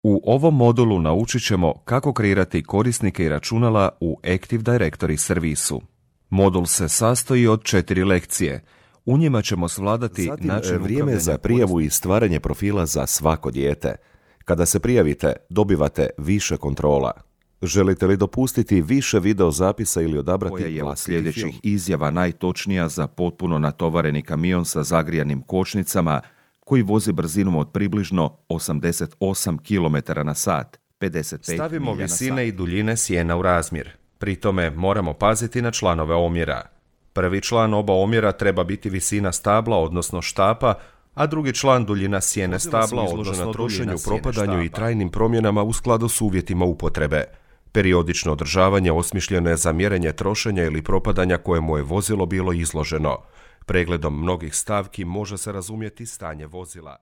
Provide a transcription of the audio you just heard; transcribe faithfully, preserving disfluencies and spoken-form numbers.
U ovom modulu naučit ćemo kako kreirati korisnike i računala u Active Directory servisu. Modul se sastoji od četiri lekcije. U njima ćemo svladati Zatim, način vrijeme za prijavu i stvaranje profila za svako dijete. Kada se prijavite, dobivate više kontrola. Želite li dopustiti više video zapisa ili odabrati koja je od vlastiti sljedećih film? izjava najtočnija za potpuno natovareni kamion sa zagrijanim kočnicama koji vozi brzinom od približno osamdeset osam kilometara na sat, pedeset pet Stavimo milja na sat. visine i duljine sjena u razmjer. Pri tome moramo paziti na članove omjera. Prvi član oba omjera treba biti visina stabla, odnosno štapa, a drugi član duljina sjene Vozila su stabla, izložena odnosno trošenju, duljina sjene propadanju i štapa. trajnim promjenama u skladu s uvjetima upotrebe. Periodično održavanje osmišljeno je za mjerenje trošenja ili propadanja kojemu je vozilo bilo izloženo. Pregledom mnogih stavki može se razumjeti stanje vozila.